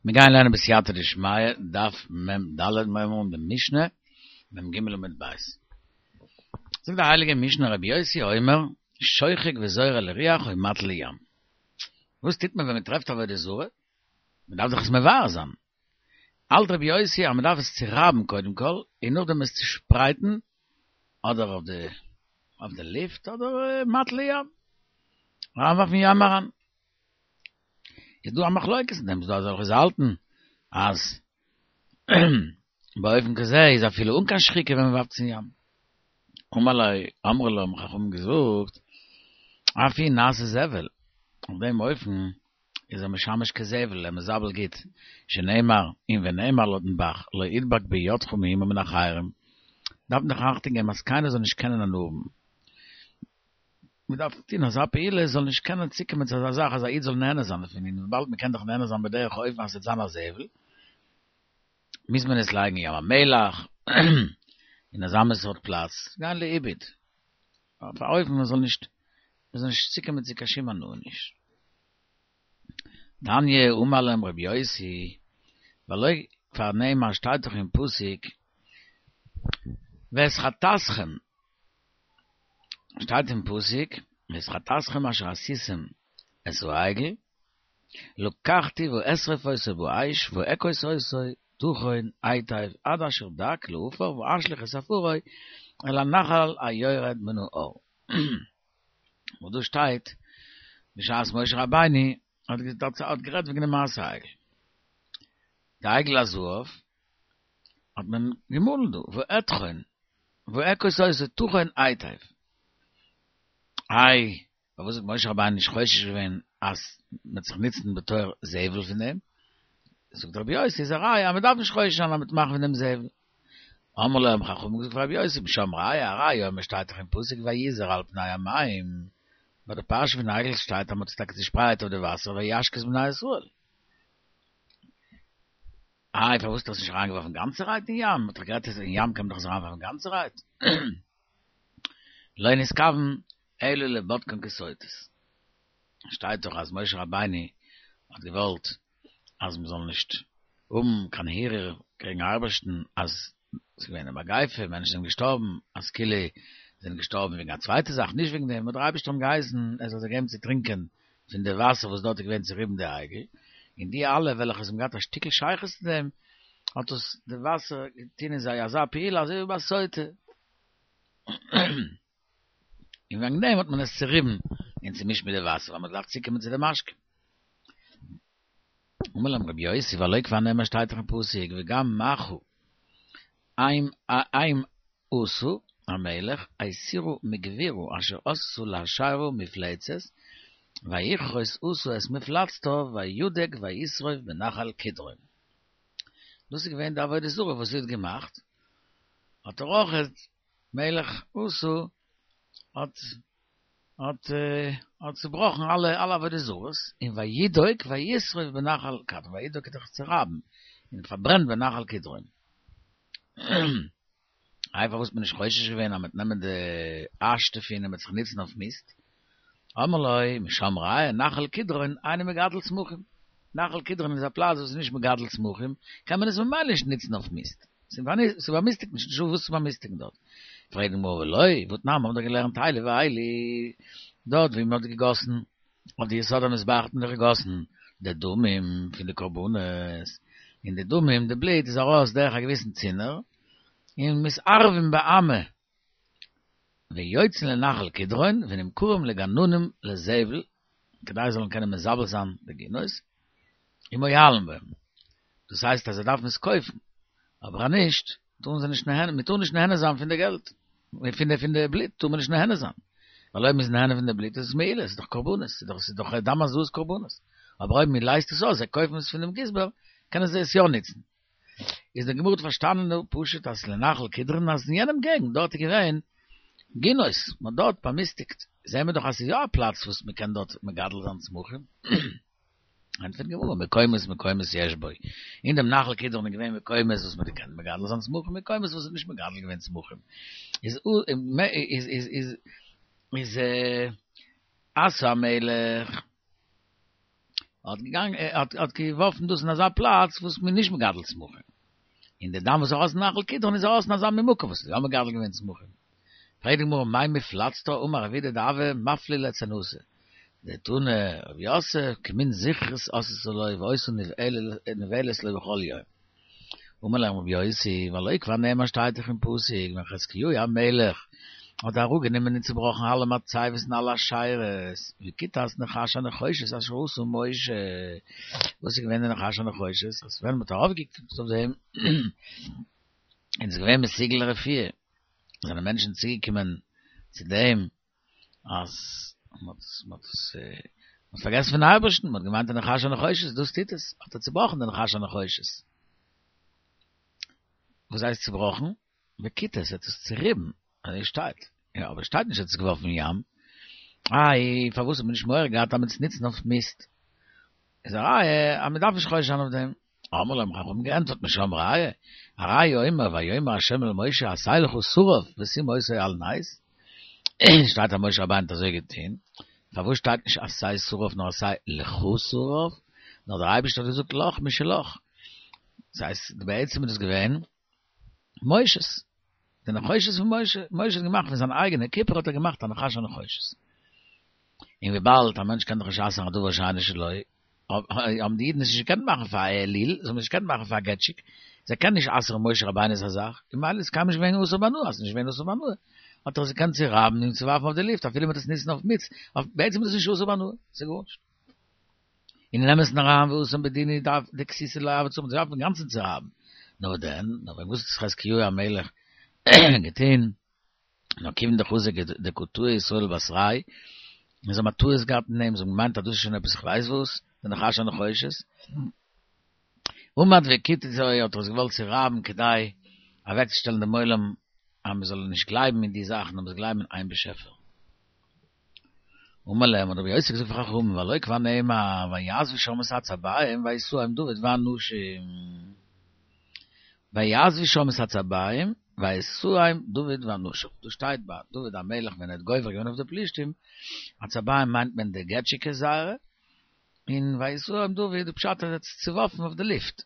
מיר גייען לערנען בסייעתא דשמיא, דף מ ד, מיר הייבן אן די משנה, מ ג עמוד ב'. זאגט די הייליגע משנה רבי יוסי אומר, שוחק וזורה לרוח או מטיל לים. וואס טוט מען ווען מען טרעפט עבודה זרה? מען דארף דאך עס מבער זיין. האלט רבי יוסי אז מען דארף עס צורייבן קודם כל, און נאכדעם עס צושפרייטן, אדער אויף די אויף די לופט, אדער מטיל לים. אריינווארפן אין ים אריין. איז דא א מחלוקת אין דעם, ס'דא אזעלכע וואס האלטן אז באופן כזה איז אפילו אן קיין שחיקה ווען מ'ווארפט עס אין ים. אמר לו, אמרו לו האבן חכמים געזאגט, אף הוא נעשה זבל, אויף דעם אופן איז ער משמש כזבל, ער מזבל גוט, שנאמר, און ונאמר לויטן ב"ח, לא ידבק בידך מאומה מן החרם, דארף מען דאך אכטונג געבן אז קיינער זאל נישט קענען הנאה האבן. מען דארף טון אזא פעולה עס זאל נישט קענען צוקומען צו אזא זאך אז א איד זאל נהנה זיין דערפון, און וויבאלד מען קען דאך נהנה זיין בדרך אופן אז עס וועט זיין א זבל, מוז מען עס לייגן אין ים המלח, אין אזא מין סארט פלאץ, גיין לאיבוד, אויף א אופן מען זאל נישט, מען זאל נישט צוקומען צו קיין שום הנאה נישט. תניא אמר להם רבי יוסי, והלא כבר נאמר שטייט דאך אין פסוק, ואת חטאתכם, שטייט אין פסוק, ואת חטאתכם אשר עשיתם את העגל, לקחתי ואשרף אותו באש ואכות אותו טחון היטב עד אשר דק לעפר ואשליך את עפרו אל הנחל היורד מן ההר. וואס דא שטייט, בשעת משה רבינו האט גערעדט וועגן די מעשה העגל. די עגל הזהב האט מען געמאלן דא, ואטחון, ואכות אותו טחון היטב. איי, פארוואס האט משה רבינו נישט חושש געווען אז מ'וועט זיך נוצן בתור זבל פון דעם? זאגט רבי יוסי, איז א ראיה אז מ'דארף נישט חושש זיין אז מ'וועט מאכן פון דעם זבל. אמרו לו האבן חכמים געזאגט פאר רבי יוסי, משם ראיה, א ראיה אומר שטייט דאך אין פסוק ויזר על פני המים, ביי די פרשה פון עגל שטייט אז מ'האט עס טאקע צושפרייט אויף די וואסער וישק את בני ישראל. איי פארוואס האט ער עס נישט אריינגעווארפן גאנצערהייט אין ים? מ'האט דאך גערעדט אז אין ים קען מען דאך עס אריינווארפן גאנצערהייט. לא נתכוון אלא לבודקן כסותות. שטייט דאך אז משה רבינו האט געוואלט אז מ'זאל נישט האבן קיין הרהור קעגן אייבערשטן אז ס'איז געווען א מגיפה, מענטשן זענען געשטארבן, אז כאילו זענען געשטארבן וועגן א צווייטע זאך, נישט וועגן דעם, האט דער אייבערשטער אים געהייסן ער זאל זיי געבן צו טרינקען פון די וואסער וואס דארט איז געווען צוריבן די עגל, און די אלע וועלכע האבן געהאט א שטיקל שייכות צו דעם, האט עס די וואסער געטון אין זיי אזא פעולה אזוי ווי ביי סוטה. און וועגן דעם האט מען עס צוריבן און צומישט מיט די וואסער, ווייל מען דארף צוקומען צו די משקה. אמר להם רבי יוסי והלא כבר נאמר שטייט דאך אין פסוק וגם מכה הם עשו המלך הסירה מגבורה אשר עשתה לאשרה מפלצת ויכרות אסא את מפלצתה וידק וישרוף בנחל קדרון. דאס איז געווען די עבודה זרה וואס זי האט געמאכט, האט ער אויך מלך אסא האט האט האט צובראכן אלע אלע עבודה זרות, און וידוק וישרוף בנחל קדרון, וידוק איז דאך צורייבן, און פארברענט בנחל קדרון. איי פארוואס האט מען נישט חושש געווען אז מ'וועט נעמען די אש דערפון און מ'וועט זיך נוצן אויף מיסט? אמרו לו, משם ראיה, נחל קדרון אינו מגדל צמחים. נחל קדרון איז א פלאץ וואס איז נישט מגדל צמחים, קען מען עס ממילא נישט נוצן אויף מיסט. ס'באמיסטיגט נישט, נישטא וואס צו באמיסטיגן דארט. פרעגט די גמרא ולא, והתנן, מ'האט דאך געלערנט אלו ואלו, דארט ווי מ'האט געגאסן אויף די יסוד המזבח האט מען דאך געגאסן די דמים פון די קרבנות, און די דמים, די בלוט איז ארויס דורך א געוויסן צינור, און מתערבין באמה, ויוצאין לנחל קדרון ונמכרים לגננים לזבל, כדי זיי זאלן קענען מזבל זיין די גינות, ומועלין בהם. דאס הייסט אז זיי דארפן עס קויפן, אבער אז נישט, טארן זיי נישט נהנה, מען טאר נישט נהנה זיין פון די געלט, פון די פון די בלוט טאר מען נישט נהנה זיין, ווייל אויב מען איז נהנה פון די בלוט איז עס מעילה, עס איז דאך קרבנות, עס איז דאך דם הזאת קרבנות, אבער אויב מען לייזט עס אויס, זיי קויפן עס פונעם גזבר, קענען זיי עס יא נוצן. איז די גמרא האט פארשטאנען דא פשוט אז לנחל קדרון אז אין יענעם געגנט דארט איז געווען גינות, מען האט דארט באמיסטיגט, זעהן מיר דאך אז ס'איז יא א פלאץ וואס מען קען דארט מגדל זיין צמחים. ענטפערט די גמרא, מקומות מקומות יש בו, אין דעם נחל קדרון איז געווען מקומות וואס מען האט געקענט מגדל זיין צמחים, מקומות וואס האט נישט מגדל געווען צמחים, איז איז איז איז איז אסא המלך. האט געגאנגען האט האט געווארפן דאס אין אזא פלאץ וואס מ'איז נישט מגדל צמחים. און די דם וואס איז ארויס אין נחל קדרון איז ארויס אין אזא מין מקום וואס איז יא מגדל געווען צמחים. פרעגט די גמרא מאי מפלצתא אמר רב אידי דהוה מפלי ליצנתא דתני רב יוסף כמין זכרית עשתה לו והיתה נבעלת לו בכל יום. אמר להם רבי יוסי, והלא כבר נאמר שטייט דאך אין פסוק ווען חזקיהו המלך האט אראפגענומען און צובראכן אלע מצבות און אלע אשרות, וכיתת נחש הנחושת אשר עשה משה, וואס איז געווען די נחש הנחושת? אז ווען מ'האט ארויפגעקוקט אויף דעם איז עס געווען מסוגל לרפואה, זענען מענטשן צוגעקומען צו דעם אז מ'האט מ'האט עס מ'האט פארגעסן פון אייבערשטן, מ'האט געמיינט די נחש הנחושת דאס טוט עס, האט ער צובראכן די נחש הנחושת. וואס הייסט צובראכן? וכיתת, ער האט עס צוריבן, אזוי שטייט. יא, אבער שטייט נישט ער האט עס געווארפן אין ים. איי, פארוואס האט מען נישט מורא געהאט אז מ'וועט עס נוצן אויף מיסט? איז א ראיה אז מ'דארף נישט חושש זיין אויף דעם. אמרו להם האבן געענטפערט משם ראיה, הרי הוא אומר ויאמר ה' אל משה עשה לך שרף ושים אותו על נס, שטייט אז משה רבינו האט אזוי געטון, פארוואס שטייט נישט עשה שרף נאר עשה לך שרף, נאר דער אייבערשטער האט געזאגט לך משלך, דאס הייסט בעצם איז דאס געווען משה'ס, די נחושת פון משה, משה האט געמאכט פון זיין אייגענע קופער האט ער געמאכט א נחש הנחושת. און וויבאלד א מענטש קען דאך נישט אסר'ן א דבר שאינו שלו, האבן די אידן עס נישט געקענט מאכן פאר א אליל, זיי האבן עס נישט געקענט מאכן פאר א געטשיק, זיי קענען נישט אסר'ן משה רבינו'ס א זאך, און ממילא איז קיינמאל נישט געווען אסור בהנאה, אז ס'איז נישט געווען אסור בהנאה, האט ער עס געקענט צורייבן און צוווארפן אויף די לופט, אפילו מ'וועט עס נוצן אויף מיץ, בעצם איז דאס נישט אסור בהנאה, ס'איז גארנישט. און אין אמת'ן אריין והתם בדין הוא דארף דכסותא לא הוה צריך, מ'דארף אינגאנצן צורייבן, נאר דען, נאר ווען וואס האט חזקיהו המלך געטון? נאר כיוון דחזו דקא טעו ישראל בתריה, און זיי האבן א טעות געהאט אין אים, זיי האבן געמיינט אז דאס איז שוין עפעס איך ווייס וואס, די נחש הנחושת. עמד וכיתתו האט ער עס געוואלט צורייבן כדי אוועקצושטעלן דעם עולם אז מען זאל נישט גלייבן אין די זאכן נאר מען זאל גלייבן אין איין באשעפער. אמר להם האט רבי יוסי געזאגט פאר חכמים והלא כבר נאמר ויעזבו שם את עצביהם וישאם דוד ואנשים ויעזבו שם את עצביהם וישאם דוד ואנשיו דא שטייט ביי דוד המלך ווען ער האט גובר געווען אויף די פלישתים עצביהם מיינט מען די געטשיקעס זייערע און וישאם דוד די פשט אז ער האט עס צוווארפן אויף די לופט.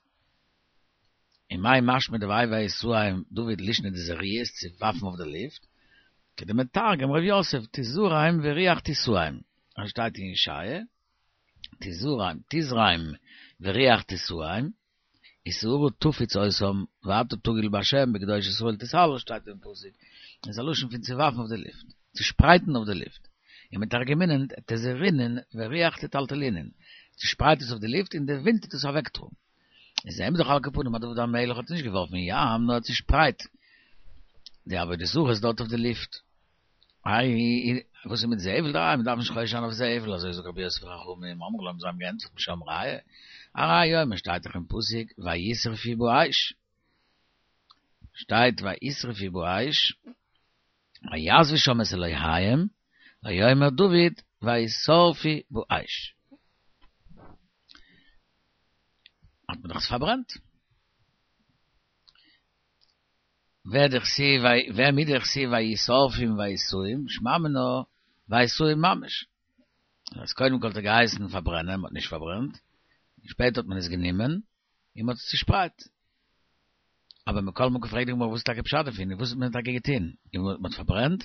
און מאי משמע דהאי וישאם דוד לישנא דזריות צו ווארפן אויף די לופט, כדמתרגם ר' יוסף תזרם ורוח תשאם, אזוי שטייט אין ישעיה, תזרם תזרם ורוח תשאם, ושערה תפיץ אותם ואתה תגיל בה' בקדוש ישראל תתהלל שטייט אין פסוק, איז א לשון פון צו ווארפן אויף די לופט, צו שפרייטן אויף די לופט, ומתרגמינן תזרינון ורוח תטלטלינון, צושפרייט עס אויף די לופט און די ווינט טוט עס אוועקטראגן. איז זעהן מיר דאך על כל פנים אז דוד המלך האט נישט געווארפן אין ים נאר ער האט צושפרייט די עבודה זרות דארט אויף די לופט. איי וואס איז מיט זבל? איי מ'דארף נישט חושש זיין אויף זבל אזוי זאגט רבי יוסי וחכמים אמרו להם זיי האבן געענטפערט משם ראיה הרי הוא אומר שטייט דאך אין פסוק וישרפו באש שטייט וישרפו באש ויעזבו שם את אלהיהם ויאמר דוד וישרפו באש. האט מען דאך עס פארברענט. ווער דכתיב ווער מדכתיב וישרפום וישאום שמע מינה וישאום ממש. אז קודם כל האט ער געהייסן פארברענען, מ'האט נישט פארברענט, שפעטער האט מען עס גענומען און מ'האט עס צושפרייט. אבער מכל מקום פרעגט די גמרא וואס איז טאקע פשט דערפון, און וואס האט מען טאקע געטון? און מ'האט פארברענט?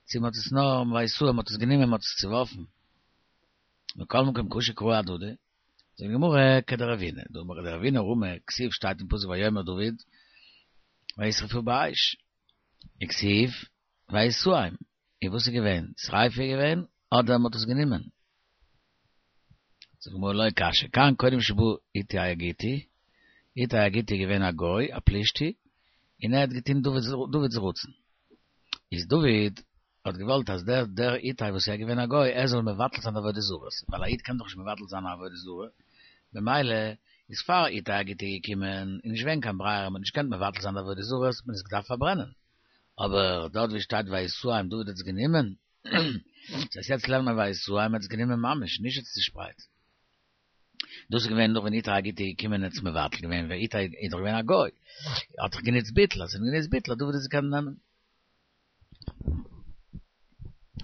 צו מ'האט עס נאר וישאום מ'האט עס גענומען מ'האט עס צוווארפן? מכל מקום קשו קראי אהדדי. זאגט די גמרא כדרבינא, דאמר דרבינא רמי, כתיב שטייט אין פסוק ויאמר דוד וישרפו באש, וכתיב וישאום, און וואס איז געווען? שריפה איז געווען אדער מ'האט עס גענומען? זאגט די גמרא לא קשיא, כאן קודם שבא איתי הגיתי, איתי הגיתי איז געווען א גוי, א פלישתי, און ער האט געטון דוד'ס רצון, איז דוד האט געוואלט אז דער דער איתי וואס איז געווען א גוי ער זאל מבטל זיין די עבודה זרות, ווייל א איד קען דאך נישט מבטל זיין א עבודה זרה, במילא איז פאר איתי הגיתי געקומען איז נישט געווען קיין ברירה מען האט נישט געקענט מבטל זיין די עבודה זרות האט מען עס געדארפט פארברענען, אבער דארט ווי שטייט וישאם דוד האט עס גענומען, דאס הייסט יעצט לערנט מען וישאם האט עס גענומען ממש נישט עס צושפרייט. דאס איז געווען נאך ווען איתי הגיתי איז געקומען און האט עס מבטל געווען, ווייל איתי איז דאך געווען א גוי, האט דאך גענוצט ביטול, אז ער האט גענוצט ביטול האט דוד עס געקענט נעמען.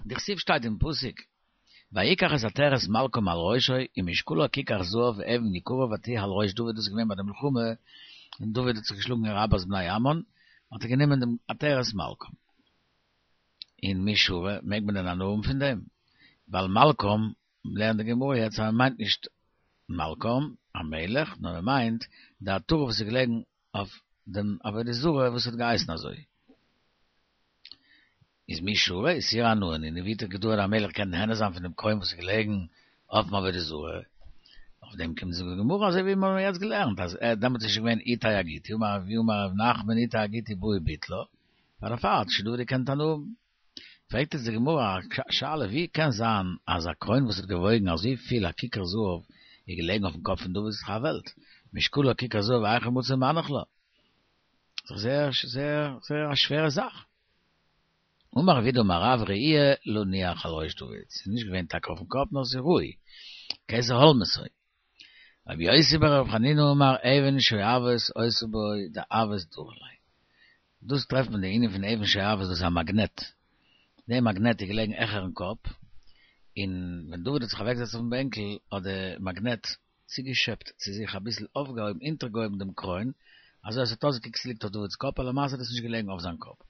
דכתיב שטייט אין פסוק. ויקח את עטרת מלכו מעל ראשו, ומשקלה ככר זהב ואבן יקרה ותהי על ראש דוד, דאס איז געווען ביי די מלחמה ווען דוד האט זיך געשלאגן אין רבת בני עמון, האט ער גענומען דעם עטרת מלכם. און מי שרי, מעג מען דען הנאה האבן פון דעם? ווייל מלכם, לערנט די גמרא יעצט אז מען מיינט נישט מלכם המלך, נאר מען מיינט די עטרה וואס איז געלעגן אויף דעם עבודה זרה וואס האט געהייסן אזוי. איז מי שרי איסור הנאה נינהו, ווי האט דוד המלך געקענט נהנה זיין פון דעם קרוין וואס איז געלעגן אויפן עבודה זרה? אויף דעם קומט זאגט די גמרא אזוי ווי מיר האבן יעצט געלערנט אז ער דעמאלטס איז שוין געווען איתי הגיתי אמר רב אמר רב נחמן איתי הגיתי בא וביטלה, פאר דערפאר האט שוין דוד געקענט הנאה האבן. פרעגט איצט די גמרא א שאלה ווי קען זיין אז א קרוין וואס האט געוואויגן אזוי פיל א כיכר זהב איז געלעגן אויפן קאפ פון דוד ס'איז דאך א וועלט משקלה כיכר זהב היכי מצי מנח לה ס'איז דאך זייער זייער זייער א שווערע זאך. אמר רב יהודה אמר רב ראויה להניח על ראש דוד ס'איז נישט געווען טאקע אויפן קאפ נאר ס'איז ראוי כתר הולמתו. רבי יוסי ברבי חנינא אמר אבן שואבת היתה בו דהות דרי ליה. דאס טרעפט מען די ענין פון אבן שואבת דאס איז א מאגנעט. די מאגנעט איז געלעגן העכערן קאפ, און ווען דוד האט זיך אוועקגעזעצט אויפן בענקל האט די מאגנעט צוגעשעפט צו זיך אביסל אויפגעהויבן אונטערגעהויבן דעם קרוין, אזוי אז עס האט אויסגעקוקט ס'ליגט אויף דוד'ס קאפ, אבער למעשה איז דאס נישט געלעגן אויף זיין קאפ.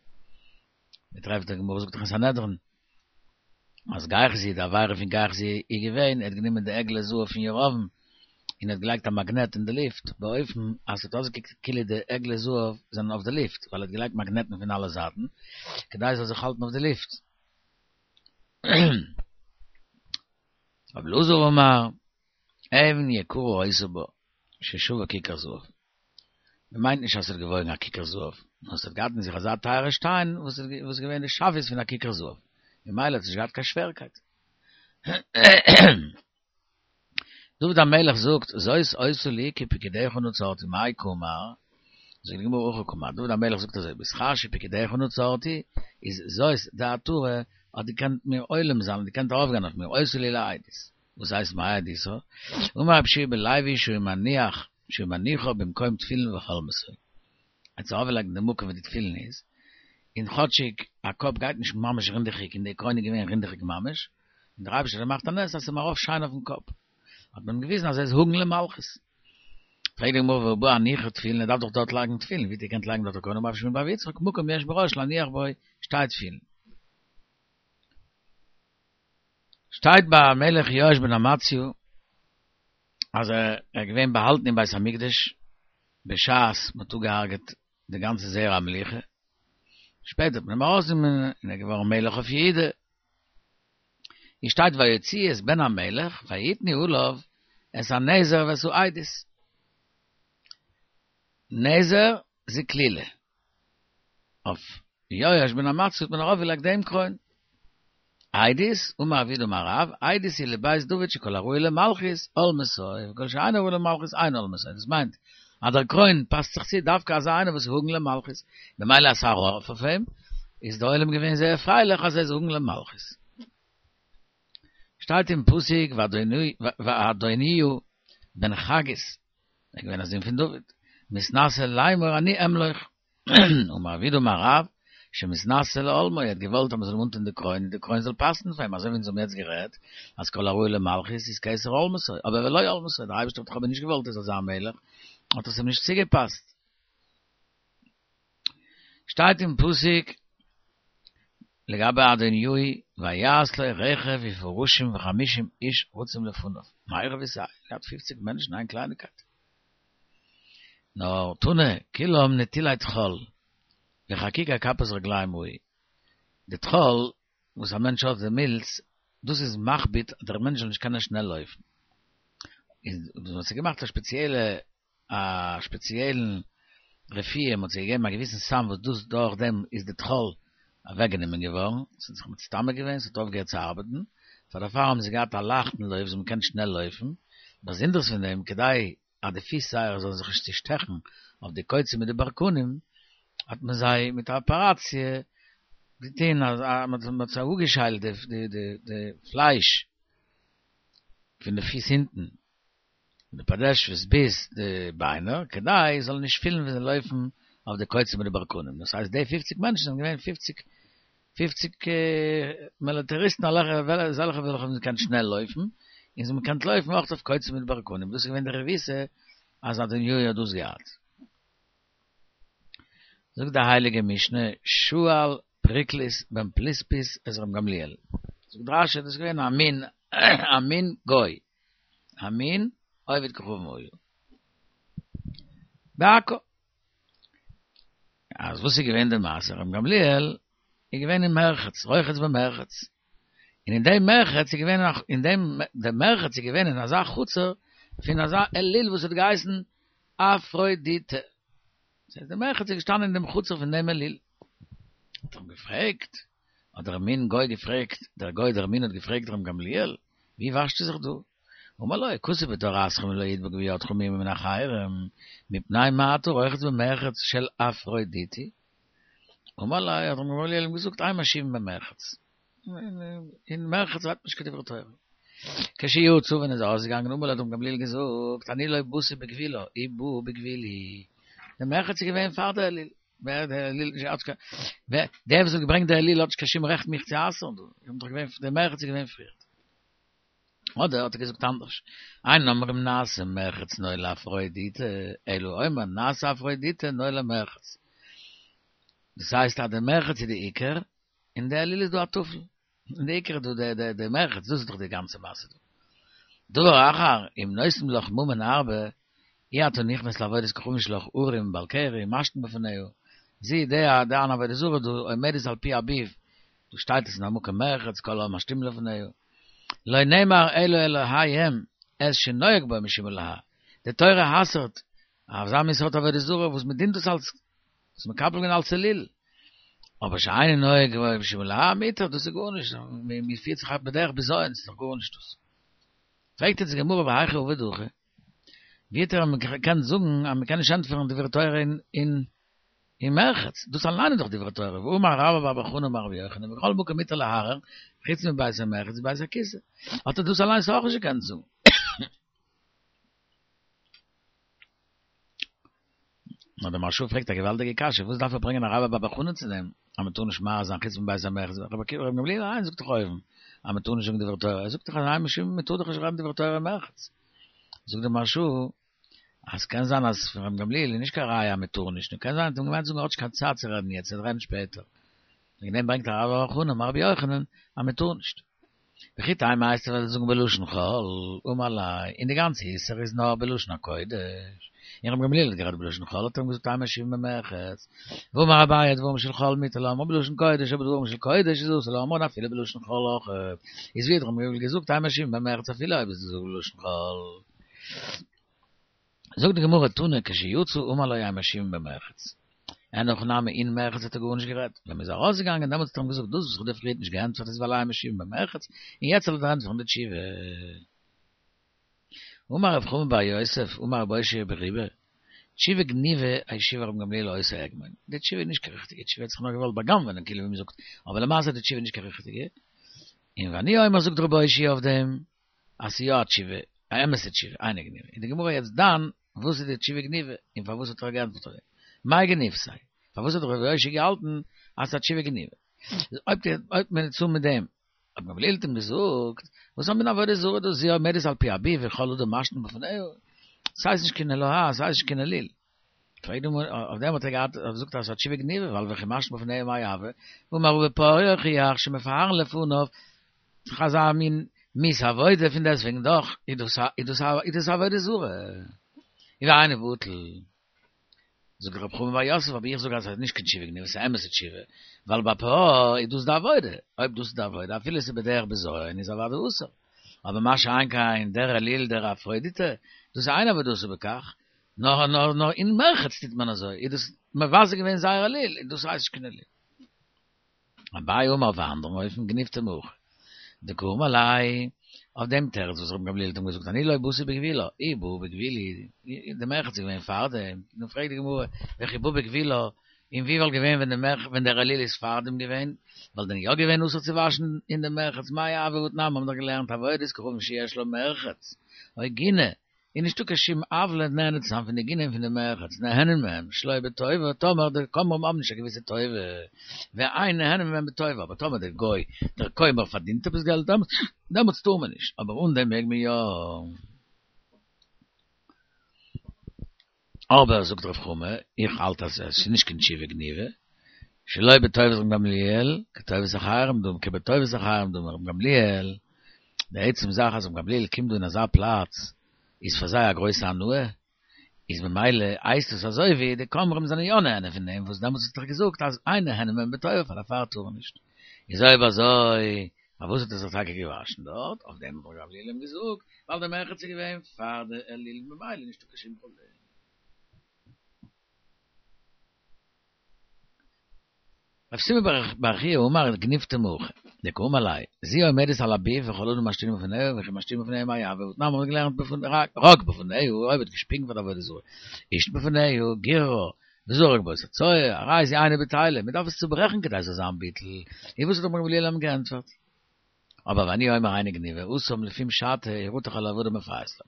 מען טרעפט די גמרא זאגט דאך אין סנהדרין אז גיחזי די עבירה פון גיחזי איז געווען ער האט גענומען די עגלי זהב פון ירבעם און ער האט געלייגט א מאגנעט אין די לופט באופן אז ס'האט אויסגעקוקט כאילו די עגלי זהב זענען אויף די לופט ווייל ער האט געלייגט מאגנעטן פון אלע זייטן כדי עס זאל זיך האלטן אויף די לופט. רבי אלעזר אמר אבן יקרה היתה בו ששווה כיכר זהב. מען מיינט נישט אז ס'האט געוואויגן א כיכר זהב, נאר ס'האט געהאט אין זיך אזא טייערע שטיין וואס איז געווען די שוויות פון א כיכר זהב, ממילא האט עס נישט געהאט קיין שווערקייט. דוד המלך זאגט, זאת היתה לי כי פקודיך נצרתי, מאי קאמר? זאגט די גמרא הכי קאמר, דוד המלך זאגט אזוי, בשכר שפקודיך נצרתי, איז זאת די עטרה האט געקענט מיר הולם זיין, האט געקענט ארויפגיין אויף מיר, היתה לי לעדות. וואס הייסט מאי עדותא? אמר רבי יהושע בן לוי שהיה מניח שהיה מניחה במקום תפילין והולמתו. ער האט עס ארויפגעלייגט אין די מקום ווי די תפילין איז, און כאטשיג א קאפ גייט נישט ממש רינדעכיג און די קרוין איז געווען רינדעכיג ממש, און דער אייבערשטער האט געמאכט א נס אז ס'איז אים ארויף שיין אויפן קאפ, האט מען אים געוויזן אז ער איז הגון למלכות. פרעגט די גמרא והא בעי הניחא תפילין ער דארף דאך דארט לייגן תפילין, ווי האט ער געקענט לייגן דארט א קרוין אמר רב שמואל בר יצחק מקום יש בראש להניח בו שתי תפילין. שטייט ביי המלך יואש בן אמציהו אז ער איז געווען באהאלטן אין בית המקדש בשעת מען האט אפגעהארגעט די גאנצע זרע המלוכה, שפעטער האט מען אים ארויסגענומען און ער איז געווארן מלך אויף יהודה, און שטייט ויוציאו את בן המלך ויתנו עליו את הנזר ואת העדות, נזר זקלילה, אויף יואש בן אמציה האט מען ארויפגעלייגט דעם קרוין. עדות, אמר רב יהודה אמר רב, עדות היא לבית דוד שכל הראוי למלכות, הולמתו, וכל שאינו ראוי למלכות אינו הולמתו. דאס מיינט אז דער קרוין פאסט זיך צו דווקא אזא איינער וואס איז הגון למלכות. ממילא אז ס'איז ארויף אויף אים, איז דער עולם געווען זייער פרייליך אז ער איז הגון למלכות. שטייט אין פסוק ואדוניהו בן חגית, ער איז געווען א זון פון דוד, מתנשא לאמור אני אמלוך. אמר רב יהודה אמר רב, שמתנשא להולמו, ער האט געוואלט אז מען זאל אים אנטון די קרוין און די קרוין זאל פאסן פאר אים, אזוי ווי אונז האבן יעצט גערעדט, אז כל הראוי למלכות איז כתר הולמתו, אבער ולא הולמתו, דער אייבערשטער האט דאך אבער נישט געוואלט ער זאל זיין מלך, האט עס אים נישט צוגעפאסט. שטייט אין פסוק לגבי אדוניהו, ויעש לו רכב ופרשים וחמישים איש רצים לפניו, מאי רבותיי, געהאט פופציג מענטשן איין קלייניקייט. נאר תנא, כולם נטולי טחול, וחקוקי כפות רגלים היו. די טחול וואס א מענטש האט די מילץ, דאס איז מכביד אז דער מענטש זאל נישט קענען שנעל לויפן. איז דאס האט זיך געמאכט א שפעציעלע א שפעציעלן רפואה, מען האט זיי געגעבן א געוויסן סם וואס דאס דורך דעם איז די טחול אוועק גענומען געווארן, עס האט זיך מצטמק געווען, עס האט אויפגעהערט צו ארבעטן, פאר דערפאר האבן זיי געהאט א לייכטן לויף, זיי האבן געקענט שנעל לויפן, באזונדערס פון דעם, כדי אז די פיס זייערע זאלן זיך נישט צושטעכן אויף די קוצים מיט די ברקנים, האט מען זיי מיט א אפעראציע געטון אז מען האט זיי אפגעשיילט די די פלייש פון די פיס הינטן, פון די פאדעשוועס ביז די ביינער, כדי זיי זאלן נישט פילן ווי זיי לויפן אויף די קוצים מיט די ברקנים. דאס הייסט די פופציג מענטשן זענען געווען פופציג. פופציג מיליטעריסטן אזעלכע וועלכע האבן געקענט שנעל לויפן, און זיי האבן געקענט לויפן אויך אויף קוצים מיט ברקנים, דאס איז געווען די רבותא אז אדוניהו האט דאס געהאט. זאגט די הייליגע משנה, שאל פריקלוס בן פליספיס את ר' גמליאל, זאגט רשי דאס איז געווען א מין א מין גוי, א מין עובד כוכבים היה. בעכו. אז וואס איז געווען די מעשה? ר' גמליאל איז געווען אין מרחץ, רוחץ במרחץ, און אין דעם מרחץ איז געווען אין דעם דער מרחץ איז געווען אין אזא חצר פון אזא אליל וואס האט געהייסן אפרודיטע. דאס הייסט דער מרחץ איז געשטאנען אין דעם חצר פון דעם אליל. האט ער אים געפרעגט, האט דער מין גוי געפרעגט, דער גוי דער מין האט געפרעגט ר' גמליאל, ווי וואשטו זיך דא? אמר לו, כתוב בתורתכם לא ידבק בידך מום מן החרם, מפני מה אתה רוחץ במרחץ של אפרודיטי? אמר לו, האט ר' גמליאל אים געזאגט, אין משיבין במרחץ. אין מרחץ רעדט מען נישט קיין דברי תורה. כשיצא ווען ער איז ארויסגעגאנגען אמר לו האט ר' גמליאל געזאגט, אני לא באתי בגבולה, היא באה בגבולי. דער מרחץ איז געווען פאר דער אליל. ווער דער אליל נישט האט קיין ווער דער וואס האט געברענגט דער אליל האט נישט קיין שום רעכט מיך צו אסר'ן דא. איך בין דאך געווען דער מרחץ איז געווען פריערט. אדער האט ער געזאגט אנדערש, אין אומרים נעשה מרחץ נאה לאפרודיטה, אלא אומר נעשה אפרודיטה נאה למרחץ. דאס הייסט אז דער מרחץ איז די עיקר, און די אליל איז דא א טפל. און די עיקר איז דא די די מרחץ, דאס איז דאך די גאנצע מעשה דא. דבר אחר, אם נותנים לך ממון הרבה, אי אתה נכנס לעבודת כוכבים שלך ערום בעל קרי, משתין בפניה, זי די די אן עבודה זרה דא עומדת על פי אביו, דא שטייט עס אין א מקום מרחץ כל העם משתין לפניה. לא נאמר אלא אלהיהם את שנוהג בו משום אלהה. די תורה אסר'ט אזא מין סארט עבודה זרה וואס מען דינט דאס אלס, וואס מקבל געווען אלס אליל. אבער שאינו נוהג בו משום אלהה מותר, דאס איז גארנישט, מען פירט זיך אויף בדרך בזיון, ס'איז דאך גארנישט דאס. פרעגט יעצט די גמרא והיכי עביד הכי? ווי האט ער געקענט זאגן אז מען קען נישט ענטפערן דברי תורה אין אין מרחץ, דאס אליין איז דאך דברי תורה, והאמר רבה בר בר חנה אמר רבי יוחנן בכל מקום מותר להרהר חוץ מבית המרחץ ובית הכסא, האט ער דאס אליינס אויך נישט געקענט זאגן. נאר דער מהרש"א פרעגט א געוואלדיגע קשיא, וואס דארף ער ברענגען א רבה בר בר חנה צו דעם אז מען טאר נישט מהרהר זיין חוץ מבית המרחץ, רבי עקיבא רבי גמליאל אליין זאגט דאך אויבן אז מען טאר נישט זאגן דברי תורה, ער זאגט דאך אז אין משיבין מען טאר דאך נישט רעדן דברי תורה אין מרחץ. זאגט דער מהרש"א אז קען זיין אז פון רבי גמליאל איז נישט קיין ראיה אז מען טאר נישט, נאר קען זיין ער האט אים געמיינט זאגן ער האט נישט קיין צייט צו רעדן יעצט, ער וועט רעדן שפעטער. וועגן דעם ברענגט ער רבה בר בר חנה אמר רבי יוחנן אז מען טאר נישט. וכי תימא הייסט ער וועט זאגן בלשון חול, אמר ליה, און די גאנצע איסור איז נאר בלשון הקודש, און רבי גמליאל האט גערעדט בלשון חול האט ער אים געזאגט אין משיבין במרחץ, והאמר אביי דברים של חול מותר לאומרן בלשון קודש אבער דברים של קודש איז אסור לאומרן אפילו בלשון חול אויך, איז ווי האט רבי גמליאל געזאגט אין משיבין במרחץ אפילו אויב איז דאס בלשון חול. זאגט די גמרא תנא כשיצא אמר לו אין משיבין במרחץ. אין הכי נמי אין מרחץ האט ער גארנישט גערעדט, ווען מ'איז ארויסגעגאנגען דעמאלטס האט ער אים געזאגט דאס וואס איך האב דיר פריערט נישט געענטפערט איז ווייל אין משיבין במרחץ, און יעצט זאל איך דיר ענטפערן די תשובה. אמר רב חמא בר יוסף אמר רבי אושעיא בריבי, תשובה גניבה השיבה רבן גמליאל לאותו הגמון, די תשובה איז נישט קיין ריכטיגע תשובה, ער האט זיך נאר געוואלט בא'גנב'ענען כאילו ווי מ'זאגט, אבער למעשה איז די תשובה נישט קיין ריכטיגע, און ואני אומר זאגט רבי אושעיא אויף דעם, אז ס'איז יא א תשובה, א אמת'ע תשובה, אינה גניבה. איז די גמרא יעצט דן, וואס איז די תשובה גניבה, און פארוואס האט ער געענטפערט אזוי? מאי גניבתיה? פארוואס האט רבי אושעיא געהאלטן אז ס'איז א תשובה גניבה? אויב אויב מען צו מיט דעם, רבן גמליאל האט אים געזאגט, וואס א מין עבודה זרה דאס זו עומדת על פי אביו וכל אדם משתין בפניה, ס'הייסט נישט קיין אלוה, ס'הייסט נישט קיין אליל. פרעגט די גמרא, אויף דעם האט ער געהאט געזאגט אז ס'איז א תשובה גניבה, ווייל וכי משתין בפניה מאי הוי, והאמר רבא בפוערה יוכיח שמפארין לפניו, ס'איז אזא מין מיאוס עבודה, פון דעסטוועגן דאך איז דאס א איז דאס א איז דאס א עבודה זרה. און והיינו בטל. זאגט רב חמא בר יוסף, אבער איך זאג אז ס'איז נישט קיין תשובה גניבה, ס'איז א אמת'ע תשובה, ווייל בפוערה איז דאס די עבודה, אויב דאס איז די עבודה אפילו ס'איז בדרך בזיון איז אוודאי אסור. אבער מה שאין כן דער אליל דער אפרודיטה, דאס איז אין עבודתה בכך, נאר נאר נאר אין מרחץ טוט מען אזוי, איז דאס מבזה געווען זייער אליל, און דאס הייסט נישט קיין אליל. אביי אמר אויף א אנדערן אופן גניבתיה מהכא דקאמר ליה, אויף דעם תירוץ וואס רבן גמליאל האט אים געזאגט אני לא באתי בגבולה, היא באה בגבולי, די מרחץ איז געווען פארדעם, נו פרעגט די גמרא, וכי באה בגבולה, און ווי וואלט געווען ווען די מרחץ ווען דער אליל איז פארדעם געווען, וואלט דען יא געווען אסור צו וואשן אין די מרחץ, מאי הוי והתנן, מיר האבן דאך געלערנט עבודת כוכבים שיש לה מרחץ, או גינה. איז נישטא קיין שום עוולה נהנה צו זיין פון די גינה און פון די מרחץ, נהנין מהם שלא בטובה, טאמער די כומרים האבן נישט א געוויסע טובה, ואין נהנין מהם בטובה, אבער טאמער דער גוי, דער כומר פארדינט עפעס געלט, דעמאלטס טאר מען נישט, אבער אן דעם מעג מען יא. אבער זאגט רב חמא, איך האלט אז עס איז נישט קיין תשובה גניבה, שלא בטובת רבן גמליאל, כטובת אחרים דמי, כבטובת אחרים דמי, רבן גמליאל, די עצם זאך אז רבן גמליאל קומט דא אין אזא פלאץ, איז פאר זיי א גרויסע הנאה, איז ממילא הייסט עס אזוי ווי די כומרים זענען יא נהנה פון דעם, וואס דעמאלטס האט ער געזאגט אז אין נהנין מהם בטובה פאר דערפאר טאר מען נישט. איז אויב אזוי פארוואס האט ער זיך טאקע געוואשן דארט? אויף דעם האט רבן גמליאל אים געזאגט, ווייל די מרחץ איז געווען פאר די אליל ממילא נישטא קיין שום פראבלעם. רב סימון בר חייא אמר גניפתא מהכא, דקאמר ליה, זו עומדת על הביב וכל אדם משתינין בפניה וכי משתינין בפניה מאי הוי והתנן מ'האט געלערנט רק בפניה אויב האט געשפיגן פאר די עבודה זרה השתין בפניה גיררה וזרק באותה צואה, הרי זו אינה בטילה, מען דארף עס צוברעכן כדי עס זאל זיין ביטול, און וואס האט רבן גמליאל אים געענטפערט? אבער ואני אומר היינו גניבה, התם לפום שעתא ירתח על העבודה ומפייס לה.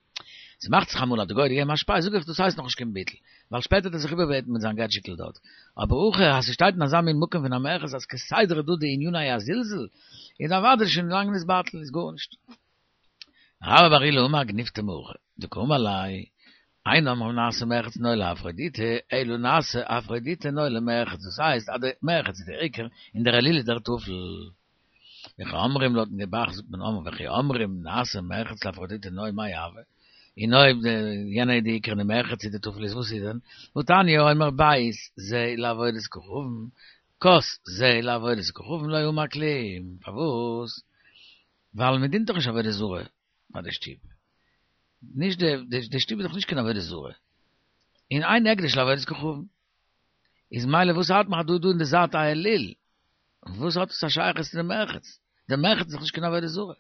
ס'מאכט זיך אמאל אז די גוי האט געגעבן א שפיי, זאג איך דאס הייסט נאכנישט קיין ביטול, ווייל שפעטער האט ער זיך איבערבעטן מיט זיין געטשיקל דארט. אבער הכא אז ס'שטייט אין אזא מין מקום פון א מרחץ אז כסדר איז דא די עניני הזלזול, איז אוודאי שוין לאנג נתבטל, איז גארנישט. רבה בר עולא אמר גניפתא מהכא, דקאמר ליה, אין אומרים נעשה מרחץ נוי לאפרודיטי, אלא נעשה אפרודיטי נוי למרחץ, דאס הייסט אז די מרחץ איז דער עיקר און דער אליל איז דער טפל. וכי אומרים לויטן ב"ח זאגט מען אמר וכי אומרים נעשה מרחץ לאפרודיטי נוי מאי הוי, און אויב די יענע איז די עיקר און די מרחץ איז די טפל איז וואס איז דען? והתניא אומר בית זה לעבודת כוכבים, כוס זה לעבודת כוכבים לא אמר כלום, פארוואס? ווייל מען דינט דאך נישט עבודה זרה ביי די שטוב, נישט די די שטוב איז דאך נישט קיין עבודה זרה, און אין הקדש לעבודת כוכבים, איז מילא וואס הארט מיך אז דא דא אין די זייט א אליל, וואס האט עס א שייכות צו די מרחץ, די מרחץ איז דאך נישט קיין עבודה זרה.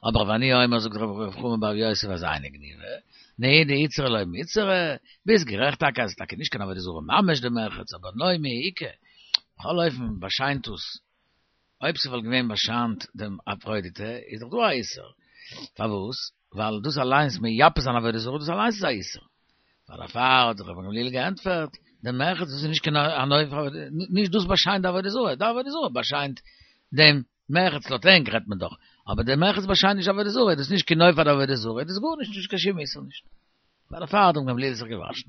אבער ואני אומר זאגט רב חמא בר יוסף אז היינו גניבה, נהי דאיתסרא לא מיתסרא, ביסט גערעכט טאקע אז עס איז טאקע נישט קיין עבודה זרה ממש די מרחץ, אבער נוי מיהא איכא, בכל אופן באשיינט עס אויב ס'וואלט געווען באשיינט דעם אפרודיטע איז דאך דא א איסור. פארוואס? ווייל דאס אליינס מייפה זיין עבודה זרה דאס אליינס איז א איסור. פאר דערפאר האט זיך רבן גמליאל געענטפערט, דער מרחץ דאס איז נישט קיין נוי פאר נישט דאס באשיינט די עבודה זרה, די עבודה זרה באשיינט דעם מרחץ לויט ענק רעדט מען דאך, אבער דער מרחץ באשיינט נישט עבודה זרה, דאס איז נישט קיין נוי פאר די עבודה זרה, דאס איז גארנישט נישט קיין שום איסור נישט. פאר דערפאר האט רבן גמליאל זיך געוואשן.